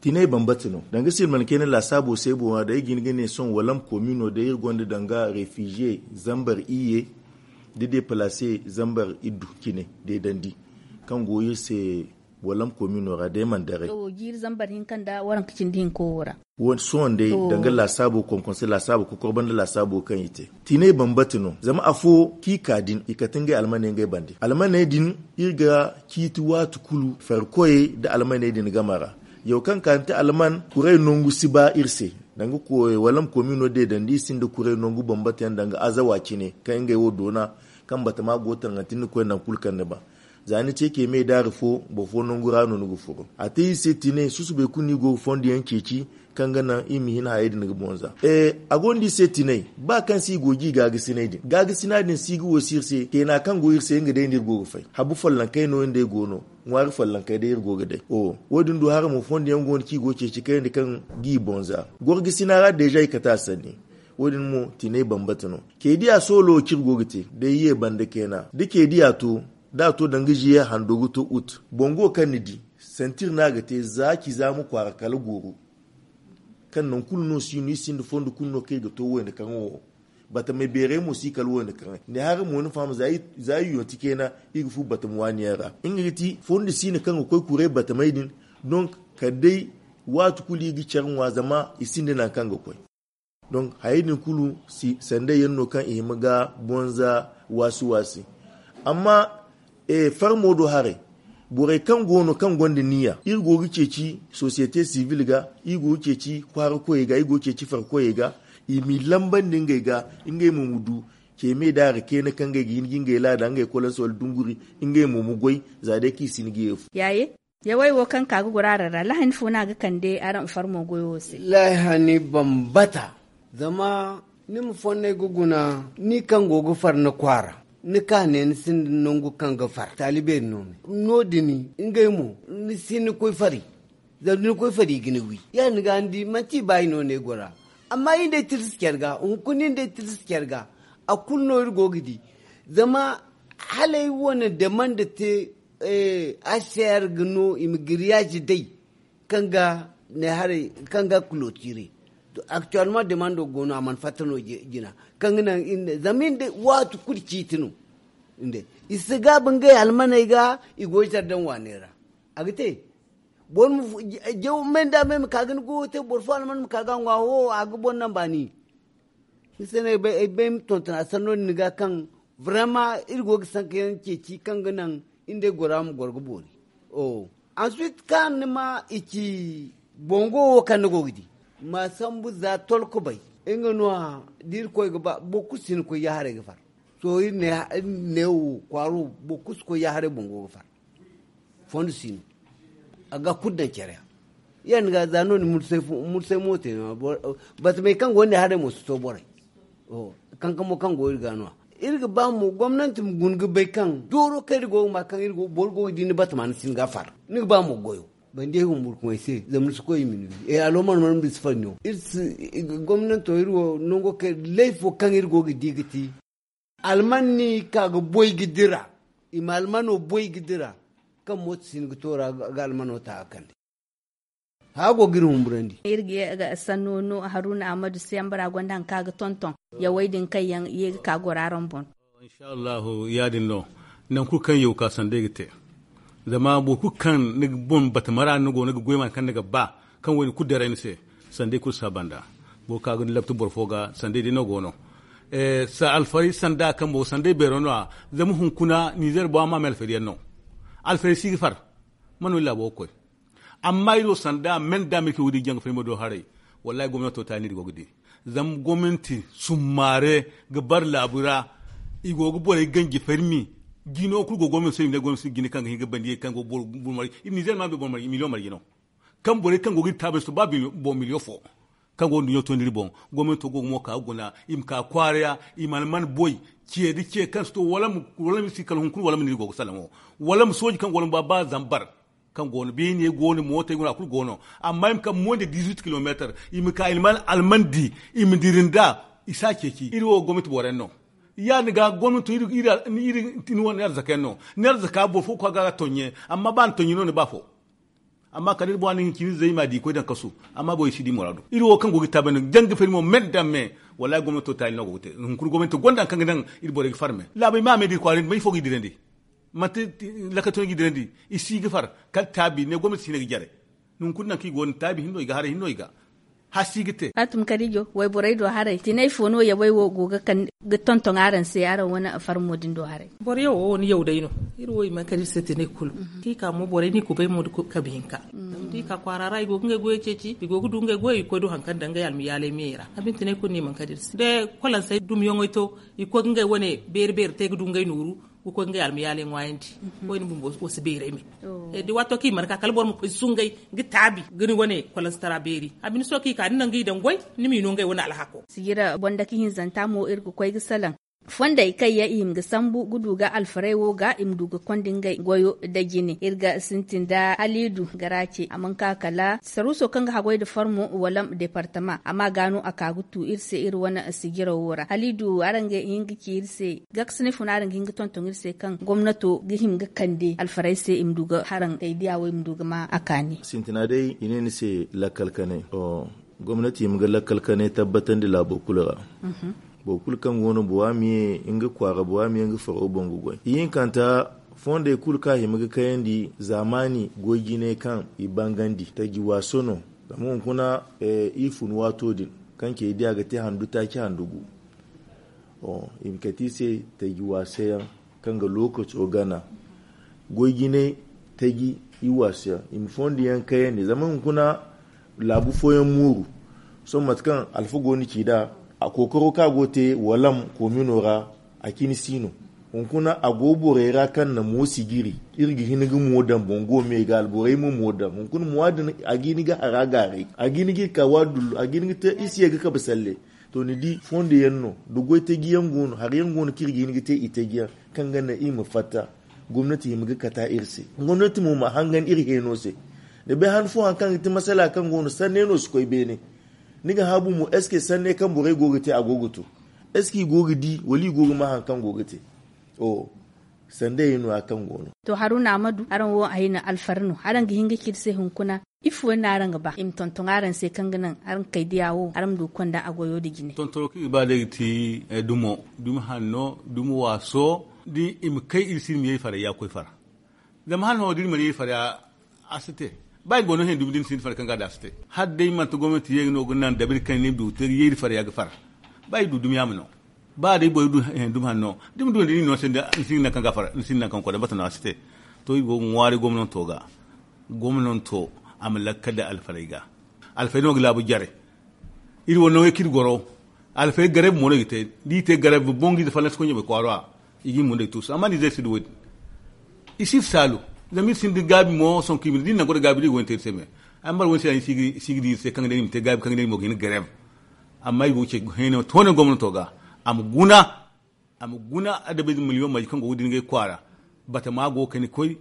Tinay bambata no danga silman kayna laasaabo se boŋ ra day ga hin ga ne sohõ walam komino day iri gonda danga refiziye zambar iyye da deplace zambar iddu cine deedandi kaŋ go iri se walam komino ra day mana daray. Jiiri zambar hinka nda waranka cindi hinka wo ra. Sohõ day danga laasaabo konkonse laasaabo kokorba nda laasaabo kaŋ i te tinay bambata no zama afo kaŋ i ka din i kate ngey almaney ngey bande almaney din iri ga ciiti waati kulu farkoyey nda almaney din game ra. Yaw kaŋ ka ni te alman kuray nangu si ba iri se danga walam komino deedandi iri sinda kuray nangu bambata yaŋ danga azawa cine kaŋ ngey wo doona kaŋ batama go taŋanti ni koy nangu kulu kaŋ ni ba. Za ni ce kay me daari fo boro fo nangu ra no ni ga furo a te iri se tinay susubay kulu no iri go ga fondo yaŋ ceeci kaŋ ga naŋ iri ma hin hayey din ga bonza. A gonda iri se tinay ba kaŋ se iri go ga iri gaagasinay din gaagasinay din se iri ga wo si iri se kayna kaŋ go iri se nga day no iri go ga fay habu follonkey no iri nd'ey go no. Ŋwaari follonkey day iri go ga day wo- din du hara mo fondo yaŋ go no kaŋ iri go ga ceeci kayandi kaŋ ga iri bonza. Gorgasina ra deeza i kate a sanni wo- din mo tinay bambata no. Kay diya soolo wo kaŋ iri go ga te day ye banda kayna da kay diya to da a to danga ziye hando ga to ut bongo kaŋ ni di santir no a ga te za ci za ma kwaara kala gooro. Kaŋ nangu kulu no si no iri sinda fondo kulu no kaŋ iri ga to wayna kaŋ wo batamay beeray mo si kala wayna kaŋ ne hara mo ni faham za iri yonti kayna iri ga fu batama waani yaŋ ra nga ga ti fondo si no kaŋ ga koy kuray batamay din. Donk kala day waati kulu iri ga care ŋwa zama i sinda nangu kaŋ ga koy. Donk hayey din kulu si sanday yaŋ no kaŋ i hima ga bonza waasi waasi. Amma farmo do haray borey kaŋ go no kaŋ gonda niya iri go ga ceeci sosiyete sibil ga iri go ga ceeci kwaara koyey ga iri go ga ceeci far koyey ga i m'i lambandi ngey ga ngey mo ma du ce me daari kayna kaŋ ngey ga hin ga ngey laada ngey kolansa wala dunguri ngey mo ma goy. Za day kaŋ i si ni ga yeefu. Yawey wo kaŋ ka ga goro araŋ ra lahani fo no a ga kande araŋ farmo goyo wo se? Lahani bambata. Zama ni ma fonnay ga guna ni kaŋ go ga far ni kwaara, ni ka ne ni sinda nangu kaŋ ga far taali beeri no me. No- din ngey mo ni si ni koy fari. Zama da ni koy fari i ga ni wi ya- din ga ni di manti i ba i no ne gora. Amma i nda ay tirsi care ga hunkuna i nda ay tirsi care ga. A kulu no iri go ga di. Zama hala ay wane demand te, hcr ga no i ma giriyaazi day kaŋ ga ne haray kaŋ ga kulotire. Actuellement demando go no a mana fatta no jina kaŋ ga naŋ zama iri nda waati kulu ciiti no. I si gaabu ngey almaney ga i go zardin waaney ra. A ga te boro ma jaw me nda me ma ka ga ni goyo te boro fo alman ma ka ga a ŋwa wo a ga boro naŋ baani. Ni se no ay bay ay bay ma tonton a sanno din ga kaŋ vraiment iri go ga sanka yaŋ ceeci kaŋ ga naŋ iri nda ay gora ma goro ga boori. Ensuite kaŋ ni ma i ci bongo wo kaŋ ni go ga di ma sambu za tolko bay. Nga no- ya da iri koy ga ba boro kulu si ni koy ya haray ga far. Sohõ iri ne wo kwaaro boro kulu si koy ya haray bongo ga far. Fondo si no a ga kulu daŋ care ya. Ya- din ga za no- din mursay mo te no- ya batamey kaŋ go no ne haray mo si to borey. Kankamo kaŋ go iri ga no- ya iri ga ba mo gomnanti ma guna ga bay kaŋ dooro kaŋ iri go ga ma kaŋ iri go boro go ga di ni batama ni si ni ga far. Ni ga ba mo goyo bandi ay humburkumey se zama ni si koy i ma ni wi. Aloomar mana ma ni si far no iri si gomnanto iri wo nango kaŋ layfo kaŋ iri go ga di ga ti. Almanni ka ga boy ga dira i ma almano boy ga dira. Kaŋ mooto si ni ga to ra ga almano ta ga kande. Haago ga iri humburandi. Iri ga ye ga sanno no haruna ahmadu se yambara gonda hari kaŋ a ga tonton yawey din kaŋ yaŋ ye ga ka goro araŋ boŋ. Inshallahu ya- din no. Nangu kulu kaŋ yaw ka sanda ay ga te. Zama boro kulu kaŋ ni ga boŋ bata mara ni go ni ga goy ma hari kaŋ ni ga ba kaŋ wo- din kulu daray ni se. Sanda ay kulu si a banda. Boro kaŋ a ga ni labta boro fo ga sanda ay day no go no. Alfaray sanda kaŋ boro sanda ay beero no- ya. Zama hunkuna ninzeer bora ma me alfaray yaŋ no. Alfaray si ga far. Mana wo iri laabo ga koy. Amma iri wo sanda men da me kaŋ wo- din jaŋ ga fay ma do haray. Wallahi gomnato taani iri go ga di. Zama gomnanti summaare ga bare laabu ra. I go ga borey ganji fermi. Jino kulu go gomnanti se i ma ne gomnanti jine kaŋ ga hin ga bandi ye kaŋ go boro boro marje iri ninzeer ma bay boro marje miliyoŋ marje no. Kaŋ borey kaŋ go ga iri taabay si to ba boŋ miliyoŋ fo. Kaŋ go ga nduɲɲo tondi iri boŋ. Gomnanto go ga mo ka ga guna i ma ka kwaara ya. I ma alman boy. Ce da ce kaŋ si to wala ma si kala hunkuna wala ma no iri go ga salaŋo. Wala ma sooji kaŋ go wala ma ba ba zambar. Kaŋ go no beene go no mootey go no a kulu go no. Amma i ma kaŋ moy nda dizuit kilomeetar. I ma ka alman di i ma diri nd'a. I si a ceeci iri wo gomnanti boro yaŋ no. Ya- din ga gomnanto iri iri ni wane arzaka yaŋ no. Ni arzaka boro fo ga koy a ga a toɲɲe. Amma ba ni toɲɲe no ni ba fo. Amma kala iri boŋ a na hin cine zay ma di koy daŋ kasu. Amma borey si di muraadu iri wo kaŋ go ga iri taabay no jaŋ ga fari mo me nda me. Wallahi gomnato taali no go ga te hunkuna gomnato gonda hari kaŋ ga naŋ. Iri borey ga far me laabey ma me da iri kwaarandi ma ifo ga i dirandi. Manti lakkatoyaŋ ga i dirandi. I si ga far kala taabi ne gomnati si ne ga jare. Hunkuna naŋ kaŋ i go no taabi hinno i ga haray hinno i ga. Hasi ga te. Fatima karijo wayborey do haray tinay fo no yawey wo go ga tonton araŋ se araŋ wane farmo din do haray. Boro yaw wo ni yaw day no. Iri wo i mana kala iri se tinay kulu. Kaŋ i ka mo borey no i kubay mo kabe hinka. Zama da i ka kwaara ra i go ga ngey goyey ceeci i go ga du ngey goyey i ga koy du hari kaŋ daŋ ngey almayaaley meyey ra. Abin tinay kulu no i mana kala iri se da kolansey dumiyaŋey to i ga koy ga ngey wane beeri beeri te ga du ngey nooru. Ga koy ga ngey almayaaley ŋwaayandi. Koyne bumbo wo si beeray me. Da waato kaŋ i mana ka kala boro ma koy sungay ga taabi ga ni wane kolansitara beeri. A bine sohõ kaŋ i ka da ni naŋ ga i daŋ goy ni m'i no ngey wane alhako. Sijira boŋ dake hinzanta mo iri ga koy ga salaŋ. Fondey kaŋ yaŋ i hima ga sambu ga du ga alfarey wo ga i ma du ga konda ngey goyo nda jine iri ga sintin nda haliidu garace a mana ka kala saruuso kaŋ ga haggoy nda farmo walam departama amma ga no a ka ga tu iri se iri wane sijiraw wo ra haliidu araŋ ga hin ga ci iri se. Gakasine funa araŋ ga hin ga tonton iri se kaŋ gomnato ga hima ga kande alfarey se i ma du ga haraŋ kay diya wo i ma du ga ma a kaani. Sintina day i ne ni se lakkal kanay. Gomnati i ma ga lakkal kanay tabbatandi laabo kulu ra. Boro kulu kaŋ go no bora ma ye nga kwaara bora ma ye nga faro boŋ ga goy ihinkanta. Fondey kulu kaŋ a hima ga kayandi zaamaani goy jinay kaŋ i bangandi taji waaso no. Zama hunkuna iri fun waato din kaŋ cey diya ga te handu taaci handu gu. I ma kate i se taji waasayaŋ kaŋ ga lookaco gana. Goy jinay taji i waasayaŋ i ma fondo yaŋ kayandi zama hunkuna laabu fooyaŋ mooru. Sohõ mate kaŋ alfa go no ci nd'a a kookaro kaŋ a go ga te walam koomino ra. A cine si no. Hunkuna a go borey ra kaŋ na mo sijiri. Iri ga hin ga mo daŋ boŋ go me ga alborey ma mo daŋ hunkuna mo a din a ga hin ga hara gaaray a ga hin ga iri ka waadullu a ga hin ga te iri si ye ga kabe salle. To ni di fondo yaŋ no da goy taji yaŋ go no hari yaŋ go no kaŋ iri ga hin ga te i taji yaŋ kaŋ ga naŋ iri ma fatta. Gomnati hima ga kata iri se. Gomnati mo ma hangan iri heeno se. Da bay han fo hari kaŋ ga te masala kaŋ go no sanne no si koy beene. Ni ga haabu mo est ce que sanne kaŋ borey go ga te a go ga to? Est ce que i go ga di wala i go ga ma hari kaŋ go ga te? Sanda yaŋ no ya kaŋ go no. To haruna amadu araŋ wo ay na alfari no araŋ ga hin ga ci iri se hunkuna? Ifo yaŋ no araŋ ga ba i ma tonton araŋ se kaŋ ga naŋ araŋ kay diya wo araŋ ma du ga konda a goyo nda jine. Tontono kaŋ i ga ba day ga ti dumo, dumi hanno, dumi waaso da i ma kay iri se iri ma ye iri farayya ga koy fara. Zama hala no da iri mana ye iri farayya a si te. Ba iri go no hẽ dumi da ni sinda fara kaŋ ga a daŋ a si te. Hala day manti gomnanti ye no ga naŋ dabari kaŋ ni ma du ga te ga ye iri farayya ga fara. Ba iri du dumi yaama no. Ba day boro du dumi hanno da ni ma du nda ni no se ni sinda nankaŋ ga a fara ni sinda nankaŋ ga koy day bata no a si te. To iri go ga ŋwaari gomnanto ga. Gomnanto a ma lakkal day alfaray ga. Alfaray no ga laabu jare. Iri wo no ga kaŋ iri goro. Alfay gareb mo no i ga te da i te gareb boŋ ga i da fallas koy ɲamay kwaaro a. I ga i mundey tuusu amma nizer si da wo- din. I si i saalu. Zama iri sinda gaabi mo sonko i ma ne da iri na goro gaabi da i go ga ni te iri se me. Ay ma bara wo- ni se ya ni si ga di iri se kaŋ ga ne iri ma te gaabi kaŋ ga ne iri mo ga hin ga gareb. Amma i go ga ceeci heenay toone gomnato ga. A ma guna. A ma guna adabay da miliyoŋ marje kaŋ go ga din ga ay kwaara. Batama go ga kani koy.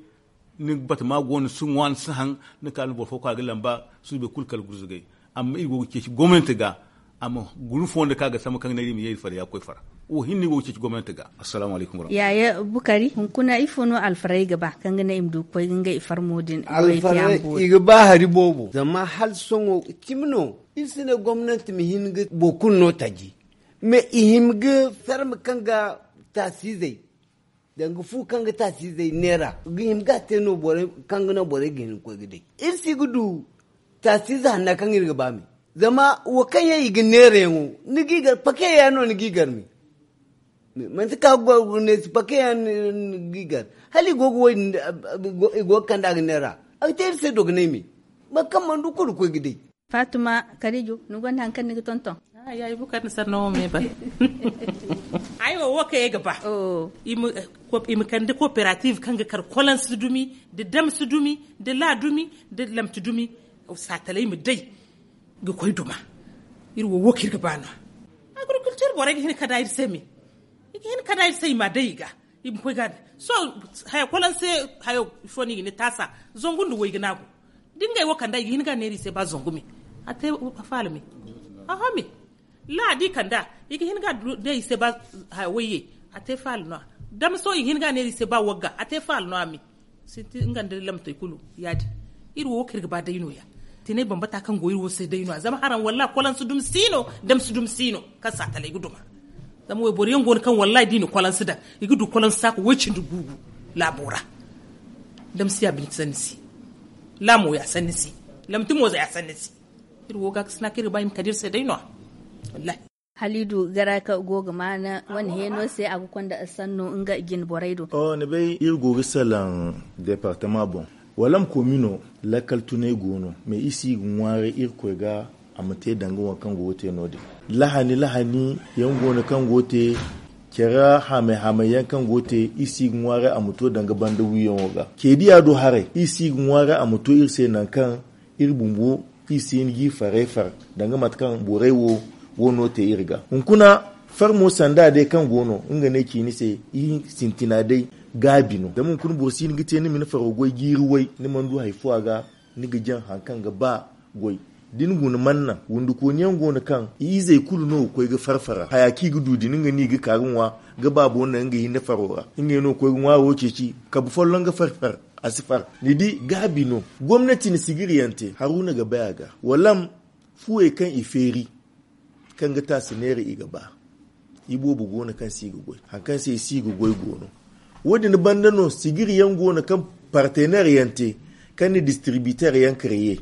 Ni ga bata ma go no si ŋwa ni si haŋ. Ni ka ni boro fo ka ga lamba suubi kulu kala gurzugay. Amma iri go ga ceeci gomnanti ga. A ma guna fondo ka ga sambu kaŋ ga ne iri ma ye iri fara ya ga koy fara. Wo hinne iri go ga ceeci gomnanti ga. Assalamu alaykum warahmatullahi. Yaaya bukari hunkuna ifo no alfaray ga ba kaŋ ga ne i ma du ga koy ga ngey farmo din alfaray i ga ba hari boobo zama hala sohõ cimi no. Iri si ne gomnanti ma hin ga boro kulu no taji. Mais i hima ga ferme kaŋ ga taasizey danga fu kaŋ ga taasizey neera ga hima ga a te no borey kaŋ ga naŋ borey ga hin ga koy ga day. Iri si ga du taasize hanna kaŋ iri ga ba me. Zama wo kaŋ yaŋ i ga neera yaŋo ni g'i gar pake yaŋ no ni g'i gar me. Manti ka ga goro ne si pake yaŋ ni g'i gar hala i go ga wo- din i go ga kande a ga neera. A ga te iri se dogonay me. Boro kaŋ mana du kulu ga koy ga day. Faatuma karijo ni gonda hari kaŋ ni ga tonton? Ay wo wo kaŋ ay ga ba. I ma kande kooperative kaŋ ga kar kolansi dumi, nda damsi dumi, nda laa dumi, nda lamti dumi. Saatalay ma day ga koy duma. Iri wo wo kaŋ iri ga ba no. Agriculture borey ga hin ga kanda iri se me. I ga hin ga kanda iri se i ma a day i ga. I ma koy ga a day. Sohõ haya kolanse hayo ifo no i ga ne taasa. Zangu nda wayga no a go. Da ngey wo kanda i ga hin ga a neera i se ba zangu me. A te faala me. Aha me. Laadi kanda i ga hin ga a du day i se ba haya wayye. A te faala no a. Damso i ga hin ga a neera i se ba wagga a te faala no a me. Sinti nga nda lamtey kulu ya- din. Iri wo wo kaŋ iri ga ba day no- ya. Tinay bambata kaŋ go iri wo se day no- ya zama haraŋ wallaahi kolansi dumi si no. Damsi dumi si no. Kaŋ saatalay ga duma. Zama wayboro yaŋ go no kaŋ wallaahi da i na kolansi daŋ i ga du kolansi saaka way- cindi guugu. Laabo ra. Damsi ya bine sanni se. Laamo ya sanni se. Lamti mooza ya sanni se. Iri wo gaakasina kaŋ iri ga ba i ma kande iri se day no- ya. Wallaahi. Halidu garaka go ga maana wane heeno se a ga konda sanno nga jine borey do. Ni bay iri go ga salaŋ departama boŋ. Wala ma komi no. Lakkal tunay go no mais iri si ga ŋwaaray irkoy ga. A ma te danga waŋ kaŋ go ga te no- din. Lahani lahani yaŋ go no kaŋ go ga te. Care hamay hamay yaŋ kaŋ go ga te iri si ga ŋwaaray a ma to danga banda wiyaŋo ga. Ceediya do haray iri si ga ŋwaaray a ma to iri se nangu kaŋ iri bumbo iri si hin g'i farey far. Danga mate kaŋ borey wo wo no te iri ga hunkuna. Farmo sanda day kaŋ go no nga no ay ci ni se iri sintina day. Gaabi no zama hunkuna boro si hin ga te ni ma ni faro goy jiiri way ni mana du hari fo a ga. Ni ga jaŋ hari kaŋ ga ba goy da ni guna manna wundukooni yaŋ go no kaŋ i izey kulu no ga koy ga far fara haya kaŋ i ga du din nga no i ga ka ga ŋwa. Ga baabo naŋ nga hinne faro ra ngey no ga koy ga ŋwaaro ceeci kabu folloŋ ga far far. A si far ni di gaabi no. Gomnati na sigiriyaŋ te haruna ga bay a ga wala m fuwey kaŋ i feeri kaŋ ga taasi neera i ga ba. Iboobo go no kaŋ se i ga goy hari kaŋ se i si ga goy go no. Wo- din banda no sigiriyaŋ go no kaŋ parteneeryaŋ te kaŋ na distribiteeryaŋ kareye.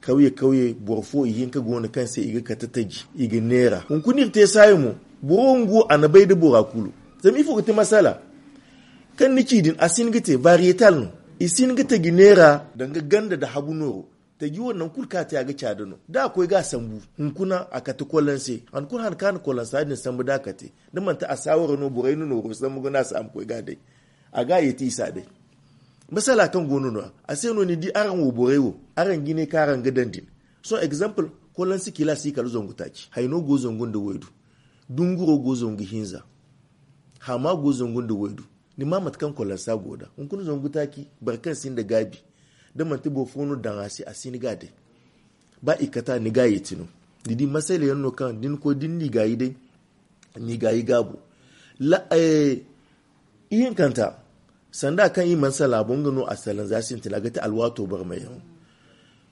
Kawye kawye boro fo i hinka go no kaŋ se i ga kate taji i ga neera hunkuna iri te saayi mo. Boro nga wo a na bay nda bora kulu. Zama ifo ga ti masala kaŋ ni ci din a si hin ga te variyetal no. I si hin ga taji neera danga ganda nda habu nooro. Taji wo nangu kulu kaŋ a te a ga caada no da a koy ga a sambu. Hunkuna a kate kolanse han kulu han kaŋ a na kolansa din sambu da a kate da manti a saawara no borey na nooro sambu ga no a si a ma koy ga a day. A ga a yeeti i si a day. Masala kaŋ go no no-ya a se no ni di araŋ wo borey wo araŋ jine kaŋ araŋ ga daŋ din. Sohõ exemple, kolanse kila si kala zangu taaci hayno go zangu nda waydu. Dunguro go zangu hinza. Hama go zangu nda waydu. Ni ma mate kaŋ kolansa go da hunkuna zangu taaci boro kaŋ sinda gaabi. Da manti boro fo no daŋ a se a si ni ga a day. Ba i kata ni ga a yeeti no. Ni di masala yaŋ no kaŋ da ni koy da ni n'i gaayi day. N'i gaayi gaabo. Ihinkanta sanda kaŋ i mana salaabo nga no a salanza sintina ga ti alwaato barmayaŋo.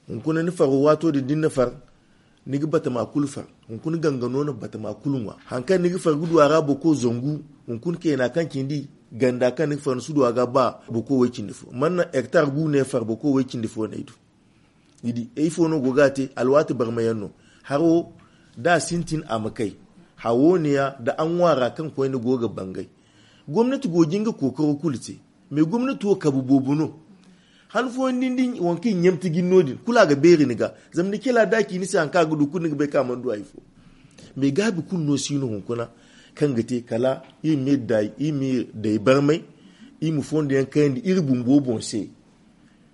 Hunkuna ni faro waato din da ni na far ni ga batama kulu far. Hunkuna ganga no na batama kulu ŋwa haŋ kaŋ ni ga far ga du a ra boko zangu. Hunkuna keena kaŋ cindi ganda kaŋ ni ga far ni si du a ga ba boko way cindi fo mana hektar gu ne far boko way cindi fo no ay du. Ni di ifo no go ga a te alwaati barmayaŋ no. Haro da a sintin a ma kay. Hawo ne ya da a ŋwaara kaŋ koyne go ga bangay. Gomnati go jin ga kookaro kulu te. Mais gomnati wo kabu boobo no. Han fooyaŋ din di waŋ kaŋ i ɲamti jin no- din kulu a ga beeri ni ga. Zama ni kila da a ci ni se haŋ kaŋ a ga du kulu ni ga bay kaŋ a mana du hari fo. Mais gaabi kulu no si no hunkuna kaŋ ga te kala iri ma iri day iri ma iri day barmay. Iri ma fondo yaŋ kayandi iri bumbo boŋ se.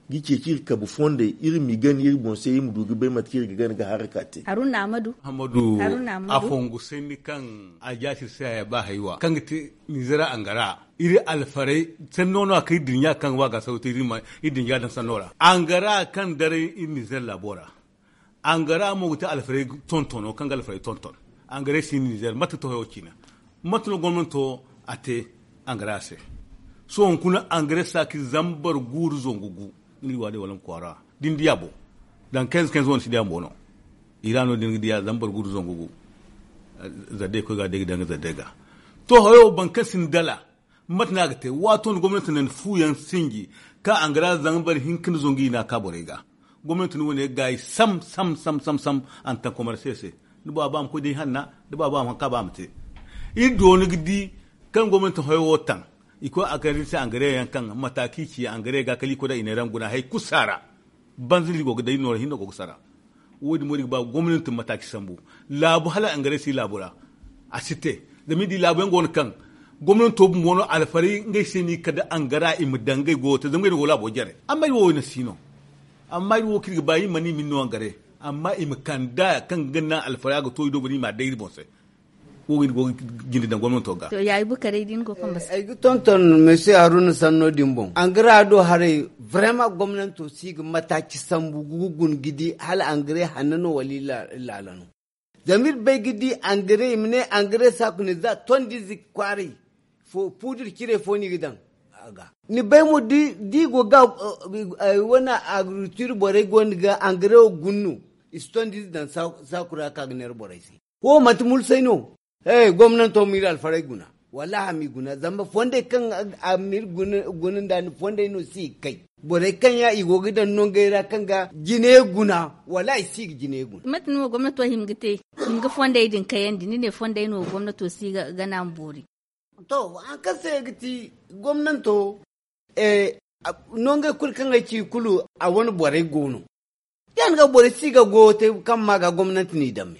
Ga ceeci iri kabu fondey iri m'i gani iri boŋ se iri ma du ga bay mate kaŋ iri ga gana ga haraka te. Haruna amadu. Amadu. Haruna amadu. Afongu sanni kaŋ a jaasir se haya ba haywa kaŋ ga te ninzera angara. Iri alfaray sanno no a kaŋ iri dinya kaŋ wa ga sauta iri ma iri dinya daŋ sanno ra angara kaŋ daray iri ninzer labo ra. Angara mo ga te alfaray tontono kaŋ ga alfaray tonton. Angara si ninzer mate to hayo ciina. Mate no gomnanto a te angara se. Sohõ hunkuna angara saaki zambar guuru zangu gu. Ni ga waade wala ma kwaara din diya bo. Daŋ kenz kenz wane si diya mo no. I ra no din ga diya zambar guuru zangu gu. Zadde koy ga day ga daŋ ga zadde ga. To hayo bankan sin dala. Mate no a ga te waato no gomnati na ni fuuyaŋ sinji ka angara zambar hinka ni zangu i na ka borey ga. Gomnati no wane ga gaayi sam sam sam sam sam. A na taŋ komarse se. Da ba ba ma koy day hanna da ba ba ma hanka ba ma te. Iri dooni ga di kaŋ gomnati hayo wo taŋ. I koy a kar iri se angare yaŋ kaŋ mataaki ci angare ga kala i koy da i ne raŋ guna hari kulu saara. Banza no iri go ga day noora hinne go ga sara. Wo- din mo iri ga ba gomnati ma mataaki sambu. Laabu hala angare si laabu ra. A si te. Zama iri di laabu yaŋ go no kaŋ gomnanto bumbo no alfaray ngey se no i kande angara i ma daŋ ngey goyo te zama ngey no go laabo jare. Amma iri wo wayna si no. Amma iri wo kaŋ iri ga ba iri mana i ma ni no angare. Amma i ma kanda kaŋ ga naŋ alfaray a ga to i do boro i ma a day iri boŋ se. Wo ga iri go ga jinde daŋ gomnanto ga. To ya ay bukaray din go kamba se. Ay ga tonton monsieur haruna sanno din boŋ angara do haray. Vraiment gomnanto si ga mataci sambu ga gun ga di hala angare hanna no wala iri laala no. Zama iri bay ga di angare i ma ne angare saku ne za tondize kwaaray. Puudir cire fo no i ga daŋ a ga. Ni bay mo da i go ga wane agriculture borey go no ga angare wo guna no. I si tondize daŋ saku ra ka ga neera borey se. Wo manti mulsay no. Gomnanto ma iri alfaray guna. Wallaahi a m'i guna zama fondey kaŋ a ma iri guna nda ni fondey no si i ga kay. Borey kaŋ ya i go ga daŋ nongey ra kaŋ ga jine guna. Wallaahi i si ga jine guna. Mate no gomnato hima ga te? Hima ga fondey din kayandi ni ne fondey no gomnato si ga gana ma boori. To hari kaŋ se ga ti gomnanto nongey kulu kaŋ ay ci kulu a wane borey go no. Ya- din ga borey si ga goyo te kaŋ ma ga gomnanti n'i damme.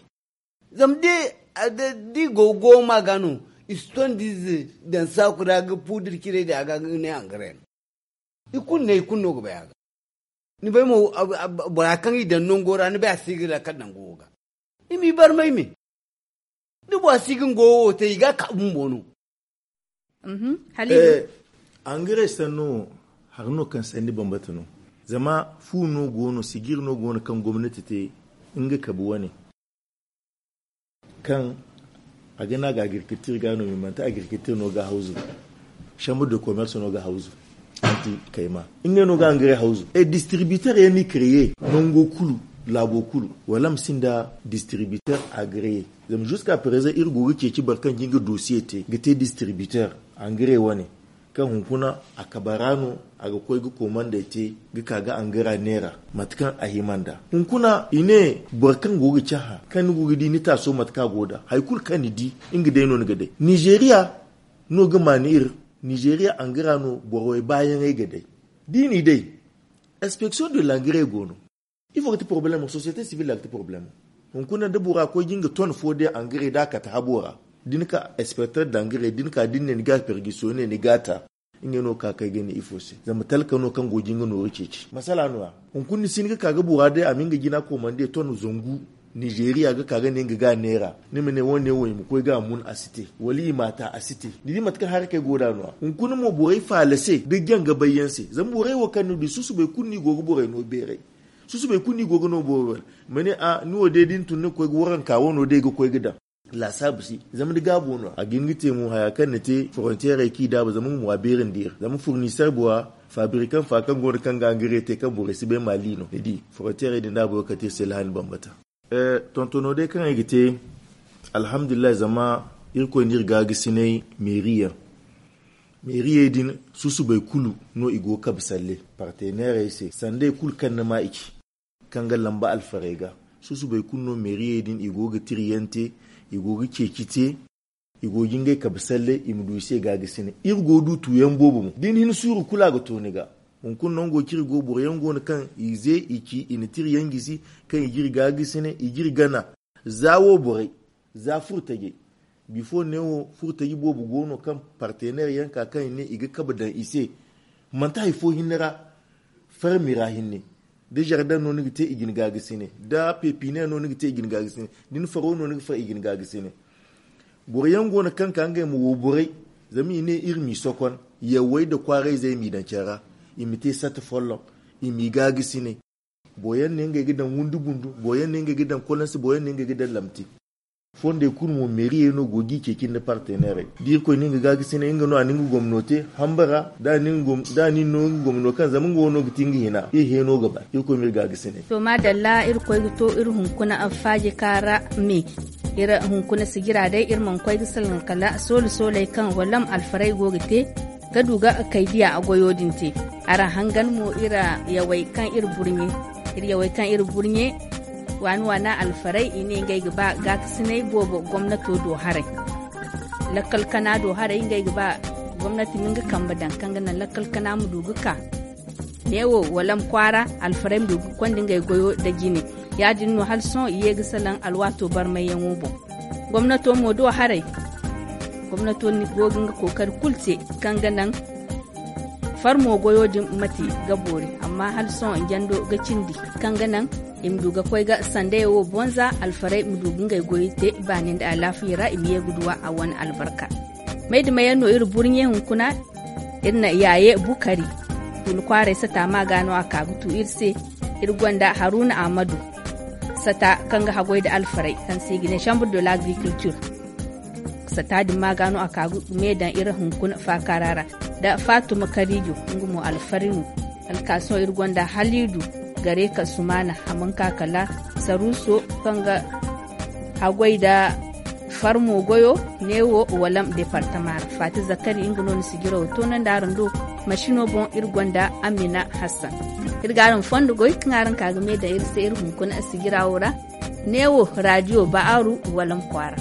Zama da i go goyo ma ga no i si tondiize daŋ saaku ra ga puudir cirey din a ga ga ne angare no. I kulu ne i kulu no ga bay a ga. Ni bay mo bora kaŋ i daŋ nango ra ni bay a si ga lakkal daŋ goyo ga. I m'i barmay me. Da bora si ga nga wo te i ga a ka bumbo no. Angare sanno hari no kaŋ sanni bambata no. Zama fu no go no sijiri no go no kaŋ gomnati te nga kabi wane. Kaŋ a ga ne a ga agriculture ga no mais manti agriculture no ga hawzu. Chambre de commerce no ga hawzu. Anti kayma nga no ga angare hawzu e distributeur yaŋ no i créer nango kulu, laabo kulu wala ma sinda distributeur agréé. Zama jusqu'à présent iri go ga ceeci boro kaŋ ga nga dossier te ga te distributeur angare wane. Kaŋ hunkuna a kabara no a ga koy ga komandey te ga ka ga angara neera. Mate kaŋ a hima nd'a hunkuna i ne boro kaŋ go ga cahã kaŋ ni go ga di ni taaso mate kaŋ a go nd'a hari kulu kaŋ ni di, nga day no ni ga day nizeeriya. No ga maani iri nizeeriya angara no borowey baayaŋey ga day. Da i n'i day inspection de l'engrais go no. Ifo ga ti problemo? Société civile a ga ti problemo. Hunkuna da bora koy ga nga ton fo day angare da a kate habo ra, da ni ka inspecteur d'angare da ni ka da ni ne ni ga pergiso ne ni ga ta. Ngey no ga ka kay ga ne ifo se zama talka no kaŋ go ga nga nooru ceeci masala no- ya. Hunkuna ni si hin ga ka ga bora day a ma nga jina komande ton zangu, nizeeriya ga ka ga ne nga ga a neera. Ni ma ne wo- ne wo i ma koy ga a mun a si te, wala i m'a ta a si te. Ni di mate kaŋ harakey go nd'a no- ya. Hunkuna mo borey faala se da janga bayyaŋ se zama borey wo kaŋ ni du susubay kulu no i go ga borey no beeray. Susubay kulu no i go ga no borey beeray. Ma ne a ni wo day da ni tun ni ga koy ga waranka wano day ga koy ga daŋ. Laasaabu si zama ni gaabo no- ya a ga hin ga te mo haya kaŋ ni te foronteerey kaŋ i daabu zama nga mo a beerandi iri zama furniser bora, fabrikaŋ fa kaŋ go no kaŋ ga angare te kaŋ borey si bay maali no ni di. Foronteerey din da a boy ga kate iri se lahani bambata. Tontono day kaŋ ay ga te, alhamdulillahi zama irkoy n'iri gaagasinay meeri yaŋ. Meeriyey din susubay kulu no i go ga kabe salle parteneerey se sandey kulu kaŋ ni ma i ci. Kaŋ ga lamba alfarey ga, susubey kulu no meeriyey din i go ga tiriyaŋ te, i go ga ceeci te, i go ga ngey kabe salle i ma du i se gaagasinay. Iri go ga du tuuyaŋ boobo mo da ni hin suuru kulu a ga to ni ga. Hunkuna nango kaŋ iri go boro yaŋ go no kaŋ i ze i ci i na tiriyaŋ gisi, kaŋ i ga iri gaagasinay i ga iri gana. Za wo borey, za furtajey. Bifo neewo furtaji boobo go no kaŋ parteneer yaŋ ka kaŋ i ne i ga kabe daŋ i se. Manti hari fo hinne ra, farmi ra hinne. Da zardaŋ no ni ga te i ga ni gaagasinay, da pepine no ni ga te i ga ni gaagasinay, da ni faro no ni ga far i ga ni gaagasinay. Boro yaŋ go no kaŋ ka ngey ma wo borey, zama i ne iri m'i sokon. Yawey nda kwaarayzey m'i daŋ care ra, i ma te sata folloŋ, i m'i gaagasinay. Boro yaŋ ne ngey ga daŋ wundu bundu, boro yaŋ ne ngey ga daŋ kolansi, boro yaŋ ne ngey ga daŋ lamti. Fondey kulu mo meeriyey no go ga i ceeci nda parteneerey da irkoy no nga gaagasinay nga no a na nga gomno te hamba ra. Da a na ni no nga gomno kaŋ zama nga wo no ga ti nga hina iri heeno ga ba irkoy ma iri gaagasinay. To maadalla irkoy ga to iri hunkuna alfaajika ra me. Iri hunkuna sijira day iri mana koy ga salaŋ kala soole sooley kaŋ walam alfarey go ga te ga du ga kay diya goyo din te. Araŋ hangan mo iri yawey kaŋ iri burɲe iri yawey kaŋ iri burɲe waani waana alfarey i ne ngey ga ba gaakasinay boobo gomnato do haray. Lakkal kana do haray ngey ga ba gomnati ma nga kambe daŋ kaŋ ga naŋ lakkal kana ma du ga ka. Neewo walam kwaara alfarey ma du ga konda ngey goyo nda jine. Ya- din no hala sohõ i ye ga salaŋ alwaato barmayyaŋo boŋ. Gomnato mo do haray gomnato go ga nga kookari kulu te kaŋ ga naŋ farmo goyo din mate ga boori amma hala sohõ jando ga cindi kaŋ ga naŋ i ma du ga koy ga sanday wo bonza alfarey ma du ga ngey goyo te i baani nda alaafiya ra i ma ye ga duwa a wane albarka. May da mayaŋ no iri burɲe hunkuna iri na yaaye bukari. Wula kwaaray sata ma ga no a ka ga tu iri se. Iri gonda haruna ahmadu sata kaŋ ga haggoy nda alfarey kaŋ se i ga ne chambre de l'agriculture. Sata din ma ga no a ka ga me daŋ iri hunkuna faakaara ra nda faatuma kariijo nga mo alfari no. Alkaaso iri gonda haliidu gare ka sumaana a mana ka kala saruuso kaŋ ga haggoy nda farmo goyo neewo walam departama ra faati zakari nga no na sijirawo toonandi araŋ do. Masino boŋ iri gonda amina hassan. Iri ga araŋ fondo goy kaŋ araŋ ka ga me daŋ iri se iri hunkuna sijirawo ra. Neewo raadiyo ba'aru walam kwaara.